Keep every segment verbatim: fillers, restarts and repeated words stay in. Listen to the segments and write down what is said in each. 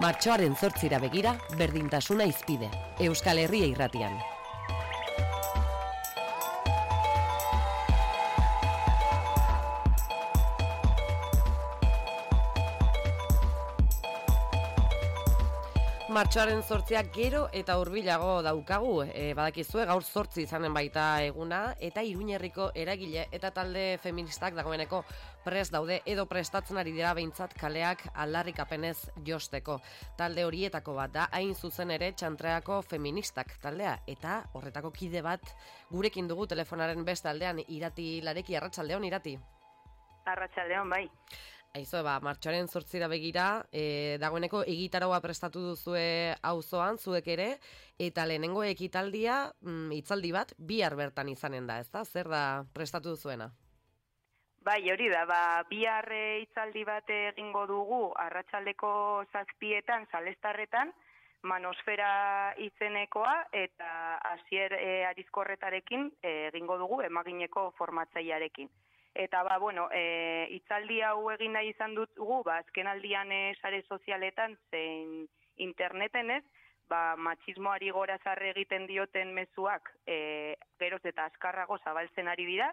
Martxoaren zortzira begira, berdintasuna izpide. Euskal Herria Irratian. Martxoaren zortziak gero eta hurbilago daukagu, e, badakizue gaur zortzi izanen baita eguna, eta Iruñerriko eragile eta talde feministak dagoeneko prest daude edo prestatzen ari dira behintzat kaleak aldarrikapenez josteko. Talde horietako bat da hain zuzen ere Txantreako feministak taldea, eta horretako kide bat gurekin dugu telefonaren beste aldean. Irati Lareki, arratsaldeon Irati. Arratsaldeon, bai. Aizo, ba, martxoaren zortzira begira, e, dagoeneko egitaraua prestatu duzue auzoan, zuek ere, eta lehenengo ekitaldia, mm, hitzaldi bat, bihar bertan izanen da, ezta? Zer da prestatu duzuena? Bai, hori da, ba, bihar hitzaldi bat egingo dugu, arratsaldeko zazpietan, Salestarretan, Manosfera izenekoa, eta Asier e, Arizkorretarekin e, egingo dugu, emagineko formatzailearekin. Eta, ba, bueno, e, itzaldi hau egin nahi izan dugu, ba, azken aldian e, sare sozialetan, zein interneten ez, ba, matxismoari gora zarre egiten dioten mezuak, e, geroz eta azkarrago zabaltzen ari dira,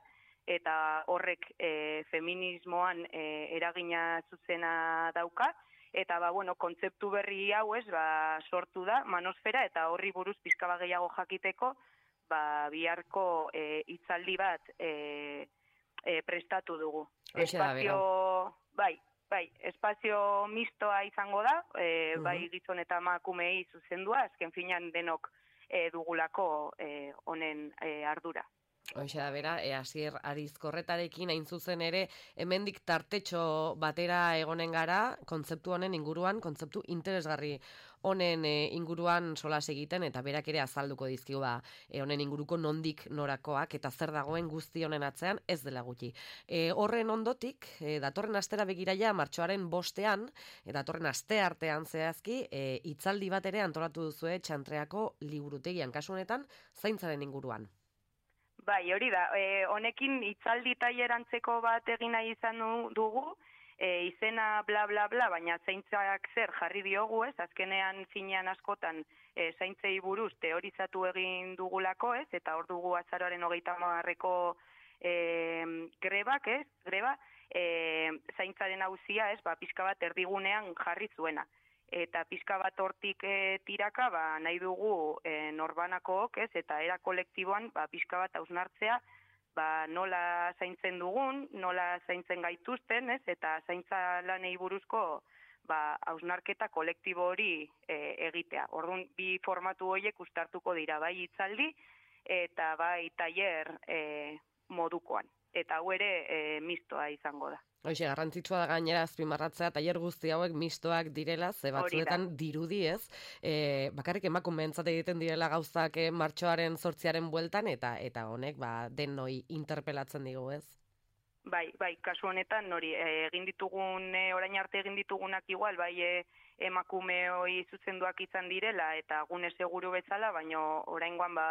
eta horrek e, feminismoan e, eragina zuzena dauka, eta, ba, bueno, kontzeptu berri hau ez, ba, sortu da, Manosfera, eta horri buruz pizka bat gehiago jakiteko, ba, biharko e, itzaldi bat, e, E, prestatu dugu. Espazio, bai, bai, espazio mistoa izango da, e, uh-huh. bai gizon eta emakumeei zuzendua, azken finean denok e, dugulako e, honen e, ardura. Hoxe da bera, e, Asier Arizkorretarekin hain zuzen ere, hemendik tartetxo batera egonen gara, kontzeptu honen inguruan, kontzeptu interesgarri honen e, inguruan solas egiten, eta berak ere azalduko dizkigu ba, e, honen inguruko nondik norakoak, eta zer dagoen guzti honen atzean ez dela gutxi. E, horren ondotik, e, datorren astera begiraia, martxoaren bostean, e, datorren aste artean zehazki, e, hitzaldi bat ere antolatu duzue Txantreako liburutegian, kasu honetan, zaintzaren inguruan. Bai, hori da, e, honekin hitzaldi tailerantzeko bat egin nahi izan dugu, e, izena bla bla bla, baina zaintzak zer jarri diogu ez, azkenean zinean askotan e, zaintzei buruz teorizatu egin dugulako ez, eta hor dugu azaroaren hogeita hamarreko e, grebak ez, greba, e, zaintzaren auzia ez, ba, pixka bat erdigunean jarri zuena. Eta pixka bat hortik e, tiraka, ba, nahi dugu e, norbanakook, ez, eta era kolektiboan, ba, pixka bat hausnartzea, ba, nola zaintzen dugun, nola zaintzen gaituzten, ez, eta zaintza lanei buruzko, ba, hausnarketa kolektibo hori e, egitea. Orduan, bi formatu horiek ustartuko dira, bai hitzaldi, eta bai tailer e, modukoan. Eta hau ere e, mistoa izango da. Hoxe, garrantzitsua da gainera azpimarratzea, tailer guzti hauek mistoak direla, ze batzuetan dirudi ez, e, bakarrik emakumeentzat egiten direla gauzak e, martxoaren zortziaren bueltan, eta eta honek ba, denoi interpelatzen digu ez? Bai, bai, kasu honetan, nori, e, egin ditugun, e, orain arte egin ditugunak igual, bai e, emakumeoi zuzenduak izan direla, eta gune seguru bezala, baino oraingoan ba,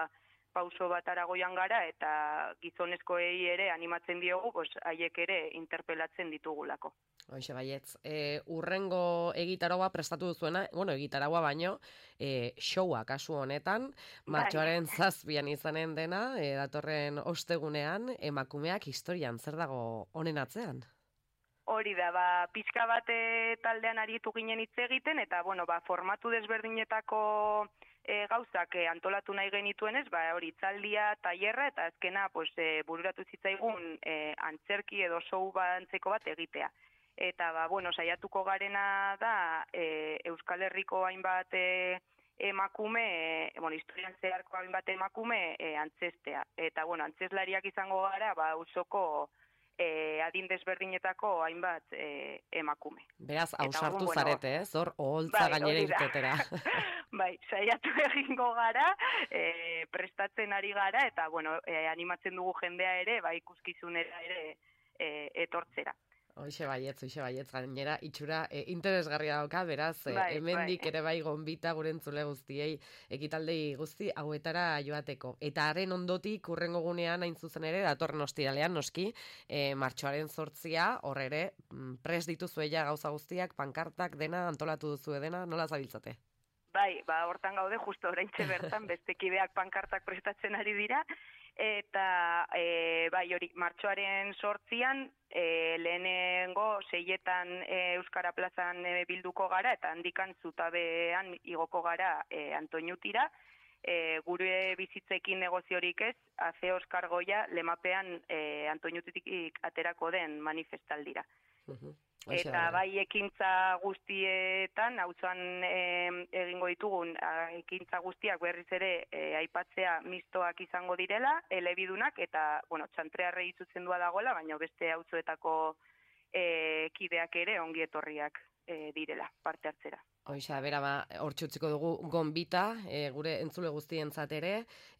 pauso bat aragoian gara, eta gizonezkoei ere animatzen diogu, pues, haiek ere interpelatzen ditugulako. Hoxe baietz, e, urrengo egitaraua prestatu duzuena, bueno, egitaraua baino, e, showa kasu honetan, martxoaren zazpian izanen dena, e, datorren ostegunean, emakumeak historian, zer dago honen atzean? Hori da, ba, pixka bat taldean aritu ginen hitz egiten, eta, bueno, ba, formatu desberdinetako E, gauzak e, antolatu nahi genituenez, ba, hori hitzaldia, tailerra, eta azkena pues, e, bururatu zitzaigun e, antzerki edo show bat antzeko bat egitea. Eta, ba, bueno, saiatuko garena da e, Euskal Herriko hainbat e, emakume, e, bueno, historian zeharko hainbat emakume e, antzestea. Eta, bueno, antzeslariak izango gara, ba, auzoko E, adin desberdinetako hainbat e, emakume. Beraz, hausartu bueno, zarete, ez? Hor, oholtza bai, gainera irtetera. Bai, saiatu egingo gara, e, prestatzen ari gara, eta, bueno, e, animatzen dugu jendea ere, bai, ikuskizunera ere e, etortzera. Hoxe baietz, hoxe baietz, gainera, itxura e, interesgarria dauka, beraz, e, Bai, hemendik bai. ere bai gonbita gure entzule guztiei, ekitaldei guzti hauetara joateko. Eta haren ondotik, urrengo gunean, hain zuzen ere, datorren ostiralean, noski, e, martxoaren zortzia, horre ere, pres dituzu ella gauza guztiak, pankartak, dena, antolatu duzu dena, nola zabiltzate? Bai, ba, hortan gaude, justo oraintxe bertan, beste kideak pankartak prestatzen ari dira, eta e, bai, hori, martxoaren sortzian, e, lehenengo seietan e, Euskara plazan e, bilduko gara, eta handikan zutabean igoko gara e, Antoñutira, e, gure bizitzekin negoziorik ez, aze Oskar Goia lemapean e, Antoñutitik aterako den manifestaldira. Uh-huh. Eta bai ekintza guztietan, auzoan e, egingo ditugun ekintza guztiak berriz ere e, aipatzea mistoak izango direla, elebidunak, eta, bueno, txantrearrei zuzendua dagoela, baina beste auzoetako e, kideak ere ongi etorriak e, direla, parte hartzera. Hoixa, bera, ba, hortxe utziko dugu gonbita, e, gure entzule guztientzat ere,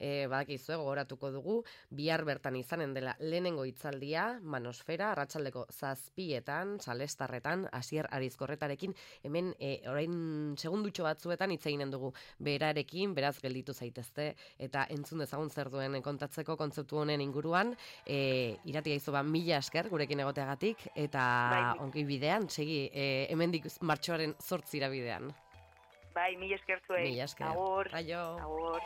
e, badakizu gogoratuko dugu, bihar bertan izanen dela lehenengo hitzaldia, Manosfera, arratsaldeko zazpietan, salestarretan, Asier Arizkorretarekin, hemen e, orain segundutxo batzuetan hitz eginen dugu berarekin, beraz gelditu zaitezte, eta entzun dezagun zer duen kontatzeko kontzeptu honen inguruan, e, iratia izo ba, mila esker gurekin egoteagatik, eta bai, ongi bidean, segi, e, hemendik martxoaren zortzira bidean. Bai, mila esker zuei. Mila esker. Agur. Aio. Agur.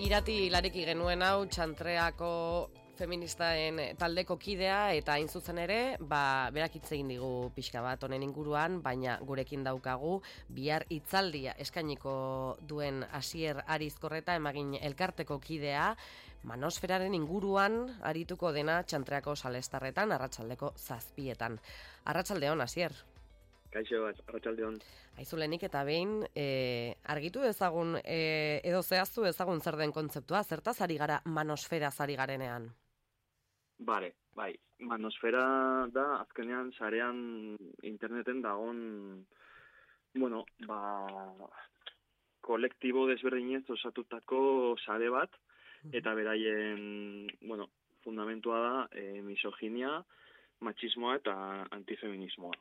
Irati lareki genuen hau txantreako feministaen taldeko kidea eta hain zuzen ere, ba, berak hitz egin digu pixka bat honen inguruan, baina gurekin daukagu bihar hitzaldia eskainiko duen Asier Arizkorreta emagin elkarteko kidea, Manosferaren inguruan arituko dena txantreako salestarretan arratsaldeko zazpietan. Arratsaldeon, Asier. Kaixo, arratsaldeon. Aizulenik eta behin, e, argitu ezagun, e, edo zehaztu ezagun zer den kontzeptua, zertaz ari gara Manosfera ari garenean? Bare, bai, Manosfera da, azkenean sarean interneten dagon, bueno, ba, kolektibo desberdinez osatutako sare bat, eta beraien, bueno, fundamentua da e, misoginia, machismoa eta antifeminismoa.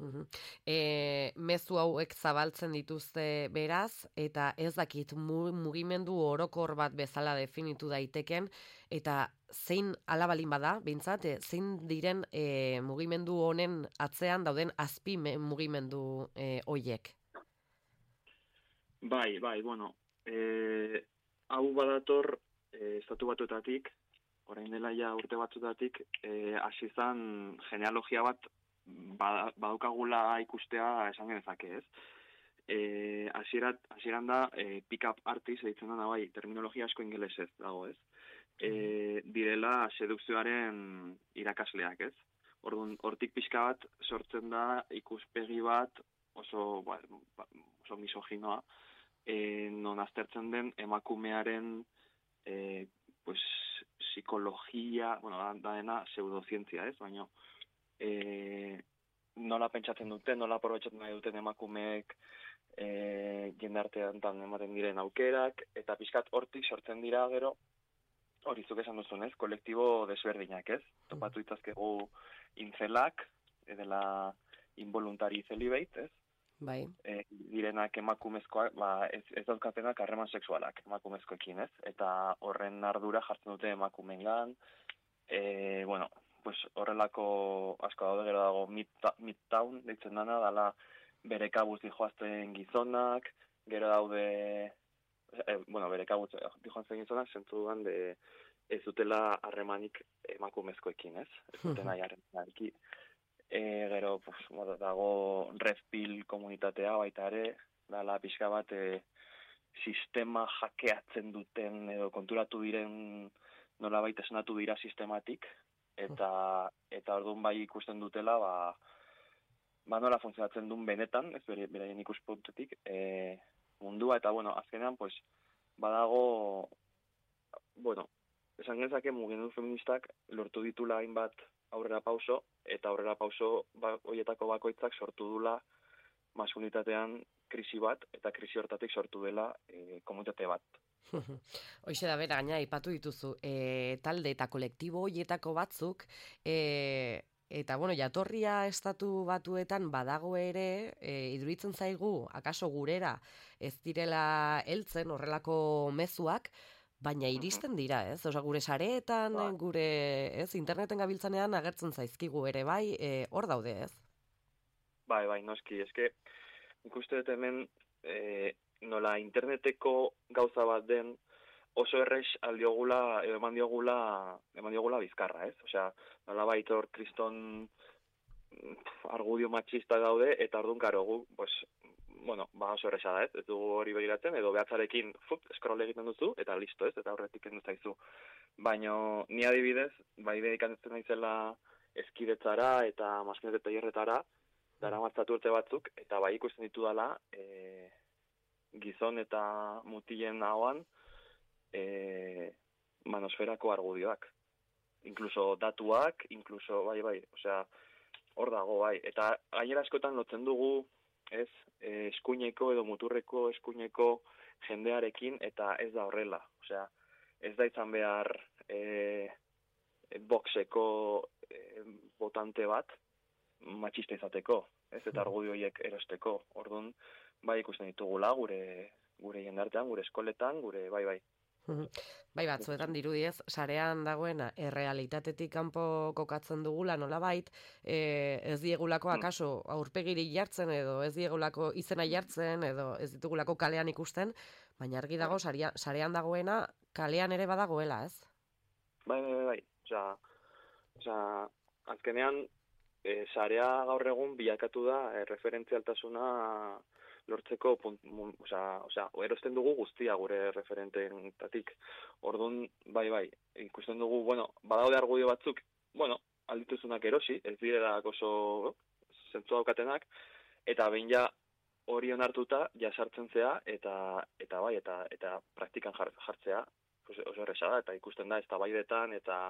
Uhum. E, mezu hauek zabaltzen dituzte beraz, eta ez dakit mugimendu orokor bat bezala definitu daiteken, eta zein alabalin bada, bintzat, e, zein diren e, mugimendu honen atzean dauden azpi mugimendu e, hoiek? Bai, bai, bueno, e, hau badator e, estatu batuetatik, orain dela ja urte batzutatik, e, hasi zan genealogia bat badaukagula ikustea esan genezake, ez? Eh, hasierat hasieran da eh, pick-up artist deitzen da bai, terminologia asko ingelesez dago, ez? Eh, direla sedukzioaren irakasleak, ez? Orduan, hortik pixka bat sortzen da ikuspegi bat oso, ba, oso misoginoa, eh, non aztertzen den emakumearen eh, pues, psikologia, bueno, da dena pseudozientzia, ez? Baina E, nola pentsatzen duten, nola aprobetxatzen nahi duten emakumeek e, jendartean ematen diren aukerak, eta pixkat hortik sortzen dira gero, hori zuk esan duzun, ez, kolektibo desberdinak, ez? Topatu itzazkegu intzelak, edela involuntari celibate, ez? Bai. E, direnak emakumezkoak, ba, ez, ez dauzkatenak harreman sexualak emakumezkoekin, ez? Eta horren ardura jartzen dute emakumeengan, e, bueno, pues horrelako asko daude, gero dago Midtown, deitzen dana, dala bere kabuz dijoazten gizonak, gero daude, eh, bueno, bere kabuz dijoazten gizonak, zentzu duan de ez dutela harremanik emakumezkoekin, ez? Ez duten nahi harremanik. E, gero, pues, bueno, dago Redpill komunitatea baita ere, dala pixka bat e, sistema jakeatzen duten edo konturatu diren nolabait esnatu dira sistematik, eta eta orduan bai ikusten dutela, ba, ba nola funtzionatzen duen benetan, ez bere, beraien ikuspuntutik, e, mundua, eta bueno, azkenean, pues, badago, bueno, esan genezake mugimendu feministak lortu ditula hainbat aurrera pauso, eta aurrera pauso ba, horietako bakoitzak sortu dula maskulinitatean krisi bat, eta krisi hortatik sortu dela e, komunitate bat. Hoixe da bera, gaina ipatu dituzu, e, talde eta kolektibo horietako batzuk, e, eta bueno, jatorria estatu batuetan badago ere, e, iduritzen zaigu, akaso gurera, ez direla heltzen horrelako mezuak, baina iristen dira, ez? Osa, gure sareetan, Ba. gure, ez, interneten gabiltzanean agertzen zaizkigu ere, bai, e, hor daude, ez? Bai, bai, noski, eske, ikuste dut hemen, e, nola interneteko gauza bat den, oso errex aldiogula, edo eman diogula, eman diogula bizkarra, ez? Osea, nola baitor kriston argudio matxista daude, eta orduan karo gu, pues, bueno, ba oso erresa da, ez? Ez dugu hori begiratzen, edo behatzarekin fup, scroll egiten duzu, eta listo, ez? Eta horretik kendu zaizu. Baina ni adibidez, bai dedikatzen naizela eskidetzara eta maskinete tailerretara, dara matzatu urte batzuk, eta bai ikusten ditu dela, e, gizon eta mutilen ahoan, e, manosferako argudioak. Inkluso datuak, inkluso, bai, bai, osea, hor dago, bai. Eta gainera askotan lotzen dugu, ez, e, eskuineko edo muturreko eskuineko jendearekin, eta ez da horrela. Osea, ez da izan behar e, boxeko e, botante bat, matxista izateko, ez, eta argudio horiek erosteko. Orduan, bai ikusten ditugula gure gure jendartean, gure eskoletan, gure, bai, bai. Bai, batzuetan dirudiez, sarean dagoena errealitatetik kanpo kokatzen dugula nolabait, e, ez diegulako akaso aurpegiri jartzen edo ez diegulako izena jartzen edo ez ditugulako kalean ikusten, baina argi dago saria, sarean dagoena kalean ere badagoela, ez? Bai, bai, bai, bai. Osea, osea, azkenean e, sarea gaur egun bilakatu da e, referentzialtasuna lortzeko, osea, osea, erosten dugu guztia gure referenteetatik. Orduan, bai, bai, ikusten dugu, bueno, badaude argudio batzuk, bueno, aldituzunak erosi, ez direla oso zentzua daukatenak, eta behin ja hori onartuta, ja sartzen zea, eta, eta bai, eta, eta praktikan jartzea, pues, oso erresa da, eta ikusten da, ez tabaidetan, eta,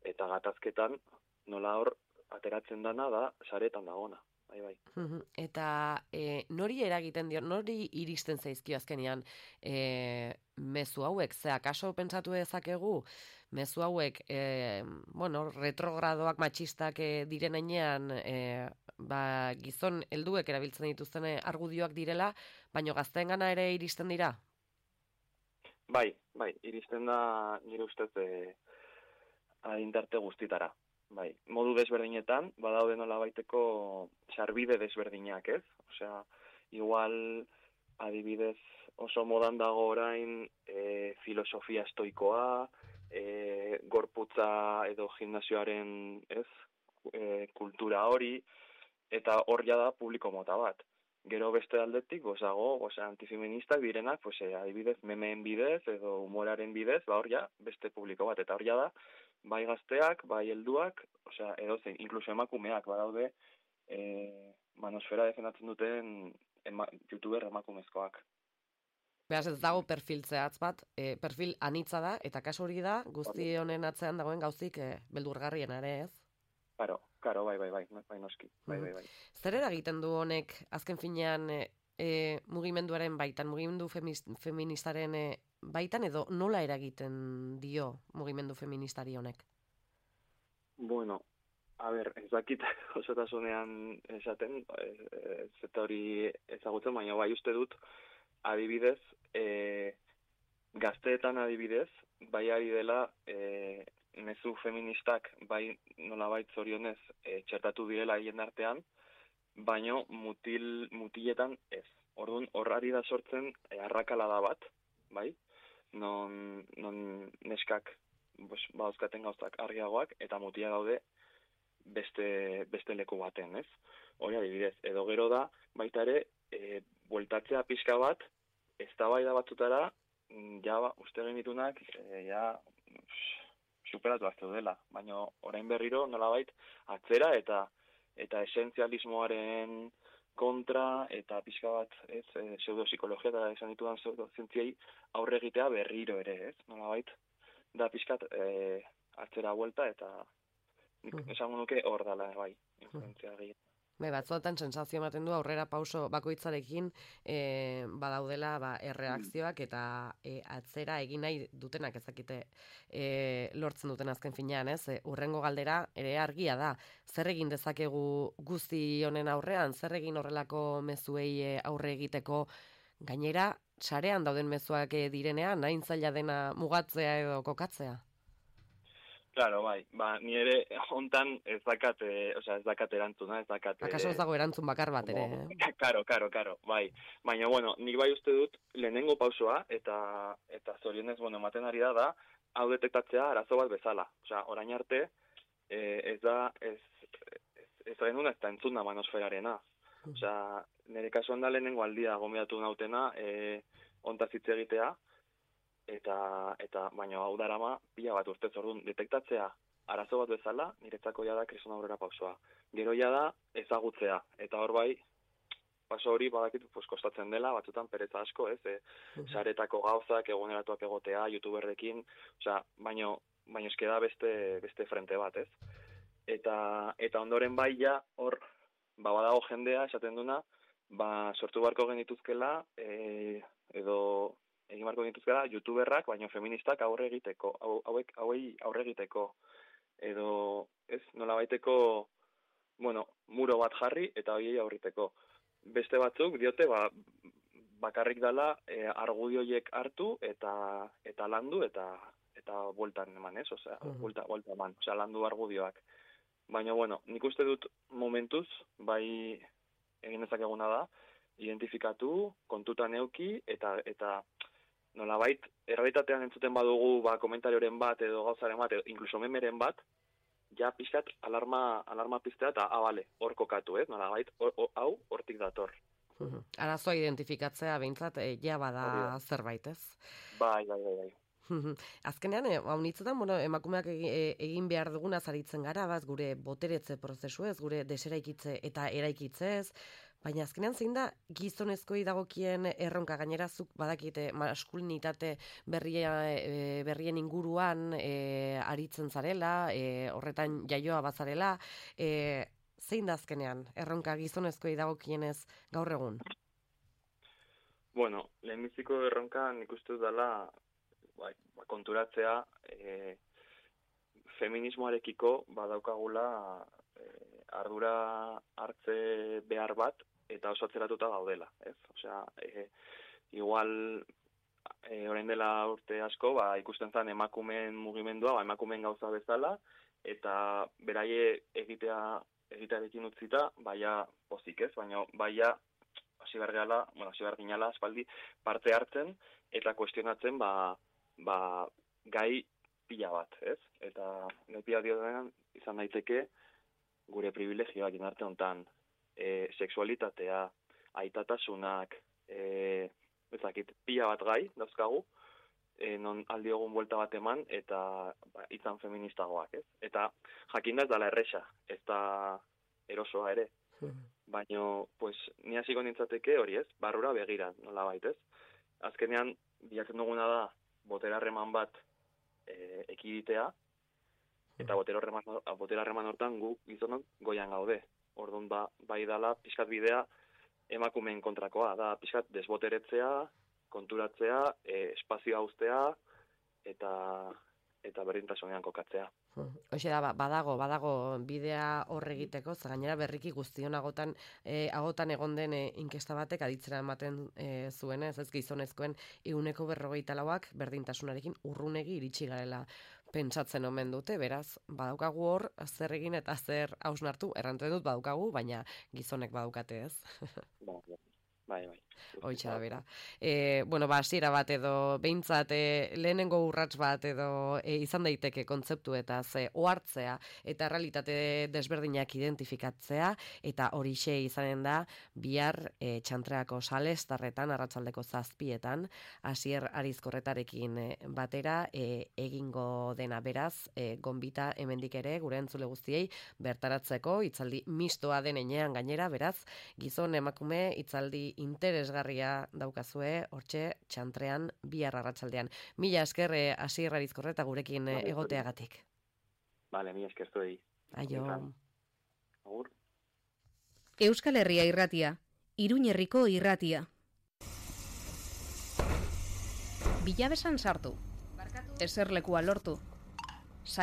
eta gatazketan, nola hor, ateratzen dana da, saretan dagona. Bai, bai. Eta e, nori eragiten dio, nori iristen zaizkio azkenean e, mezu hauek, ze akaso pentsatu dezakegu, mezu hauek, e, bueno, retrogradoak matxistak e, diren heinean, e, ba, gizon helduek erabiltzen dituzten argudioak direla, baino gazteengana ere iristen dira? Bai, bai, iristen da nire ustez e, adintarte guztitara. Bai, modu desberdinetan, badaude nola baiteko sarbide desberdinak, ez? Osea, igual adibidez oso modan dago orain e, filosofia estoikoa, e, gorputza edo gimnasioaren, ez? E, kultura hori, eta hor ja da publiko mota bat. Gero beste aldetik, gozago, osea, antifeministak direnak, pues, e, adibidez, memeen bidez edo humoraren bidez, ba hor ja beste publiko bat, eta hor ja da, bai gazteak, bai helduak, osea, edozein, inkluso emakumeak badaude, e, manosfera defendatzen duten ema, youtuber emakumezkoak. Beraz, ez dago perfil zehatz bat, e, perfil anitza da, eta kasu hori da, guzti honen atzean dagoen gauzik e, beldurgarrien ere, ez? Karo, karo, bai, bai, bai, bai noski, bai, bai, bai. Zer eragiten du honek, azken finean, e, e, mugimenduaren baitan, mugimendu feministaren e, baitan, edo nola eragiten dio mugimendu feministari honek? Bueno, a ber, ez dakit osotasunean esaten, ez eta hori ezagutzen, baina bai uste dut, adibidez, e, gazteetan adibidez, bai ari dela, e, mezu feministak bai nolabait zorionez e, txertatu direla hien artean, baino mutil, mutiletan ez. Orduan, horrari da sortzen e, arrakalada bat, bai? Non, non neskak pues, badauzkaten gauzak argiagoak, eta mutia gaude beste, beste leku baten, ez? Hori adibidez, edo gero da, baita ere, e, bueltatzea pixka bat, eztabaida batzutara, ja, ba, uste genitunak, e, ja, superatu azte dela, baina orain berriro, nolabait, atzera eta eta esentzialismoaren kontra, eta pixka bat, ez, e, pseudopsikologia eta esan ditudan pseudozientziei aurre egitea berriro ere, ez, nolabait, da pixkat e, atzera buelta, eta nik esango nuke hor dala, bai, influentzia gehiago. Bai, batzuetan sensazio ematen du aurrera pauso bakoitzarekin e, badaudela ba, erreakzioak eta e, atzera egin nahi dutenak ezakite e, lortzen duten azken finean, ez? E, urrengo galdera ere argia da. Zer egin dezakegu guzti honen aurrean, zer egin horrelako mezuei e, aurre egiteko gainera sarean dauden mezuak e, direnean, hain zaila dena mugatzea edo kokatzea? Claro, bai, ba, ni ere hontan ez dakat, eh, osea, ez dakat erantzuna, ez dakat... Akaso ez dago erantzun bakar bat ere, eh? Karo, karo, karo, bai. Baina, bueno, nik bai uste dut, lehenengo pausoa, eta eta zorionez, bueno, ematen ari da, da, hau detektatzea arazo bat bezala. Osea, orain arte, eh, ez da, ez, ez, ez da genuen, ez da entzuna manosferarena. Osea, nire kasuan da lehenengo aldia gomeatu nautena, eh, ontaz hitz egitea, eta eta baina hau darama pila bat urte zordun detektatzea arazo bat bezala niretzako ja da kriston aurrera pausoa. Gero ja da ezagutzea eta hor bai paso hori badakit pues kostatzen dela batzutan pereza asko, ez? E, saretako gauzak eguneratuak egotea youtuberrekin, osea, baino baino eske da beste beste frente bat, ez? Eta eta ondoren bai ja hor ba badago jendea esaten duna, ba sortu beharko genituzkela e, edo egin marko dituzkera, youtuberrak, baina feministak aurre egiteko, hauek hauei aurre egiteko, edo, ez, nola baiteko, bueno, muro bat jarri, eta horiei aurriteko. Beste batzuk, diote, ba, bakarrik dala, e, argudioiek hartu, eta eta landu, eta eta bueltan eman, ez, osea, uh-huh. buelta, buelta eman, osea, landu argudioak. Baina, bueno, nik uste dut momentuz, bai egin dezakeguna da, identifikatu, kontutan euki, eta eta nolabait, errealitatean entzuten badugu ba, komentarioren bat edo gauzaren bat, edo inkluso memeren bat, ja pixkat alarma, alarma piztea eta abale, hor kokatu, ez? Nolabait, hau hortik dator. Uh-huh. Arazoa identifikatzea behintzat, e, ja bada Obio. Zerbait, ez? Bai, bai, bai, bai. Azkenean, hau nitzetan, bueno, emakumeak egin behar duguna zaritzen gara, baz, gure boteretze prozesu ez, gure deseraikitze eta eraikitzez, baina azkenean zein da gizonezkoi dagokien erronka gainerazuk badakite maskulinitate berria, e, berrien inguruan e, aritzen zarela, e, horretan jaioa bazarela, e, zein da azkenean erronka gizonezkoi dagokienez gaur egun? Bueno, lehenbiziko erronka nik uste dut dela bai, konturatzea e, feminismoarekiko badaukagula e, ardura hartze behar bat eta oso atzeratuta gaudela, ez? Osea, e, igual e, orain dela urte asko, ba, ikusten zen emakumeen mugimendua, ba, emakumeen gauza bezala, eta beraie egitea egitearekin utzita, baia pozik, ez? Baina baia hasi behar gehala, bueno, hasi behar ginala, espaldi, parte hartzen, eta kuestionatzen, ba, ba, gai pila bat, ez? Eta gai pila diotenan izan daiteke gure privilegioak inarte hontan, e, sexualitatea, aitatasunak, e, ezakit, pila bat gai dauzkagu, e, non aldiogun buelta bat eman, eta ba, izan feministagoak, ez? Eta jakinda ez dala erresa, ez da erosoa ere. Baina, pues, ni hasiko nintzateke hori, ez? Barrura begira, nola bait, ez? Azkenean, bilatzen duguna da, botera harreman bat e, ekiditea, eta botera harreman hortan gu gizonok goian gaude. Orduan, ba, bai dala, pixkat bidea emakumeen kontrakoa, da pixkat desboteretzea, konturatzea, e, espazioa uztea, eta eta berdintasunean kokatzea. Hoxe da, badago, badago bidea horre egiteko, za gainera berriki guztion agotan, e, agotan egon den e, inkesta batek aditzera ematen e, zuen, ez ez gizonezkoen ehuneko berrogeita lauak berdintasunarekin urrunegi iritsi garela pentsatzen omen dute, beraz, badaukagu hor, zer egin eta zer hausnartu, errantzen dut badaukagu, baina gizonek badaukate ez. Bai, bai, bai. Hoitxa da bera. E, bueno, ba, hasiera bat edo, behintzat, e, lehenengo urrats bat edo e, izan daiteke kontzeptuetaz e, ohartzea eta realitate desberdinak identifikatzea, eta horixe izanen da bihar e, Txantreako salestarretan, arratsaldeko zazpietan, Asier Arizkorretarekin e, batera e, egingo dena, beraz, e, gonbita hemendik ere, gure entzule guztiei, bertaratzeko, hitzaldi mistoa den enean gainera, beraz, gizon emakume hitzaldi interesgarria daukazue, hortxe Txantrean bihar arratsaldean. Mila esker eh, Asier Arizkorreta gurekin eh, egoteagatik. Vale, mila esker zuei. Aio. Agur. Euskal Herria irratia, Iruñerriko irratia. Bilabesan sartu, eserlekua lortu, sake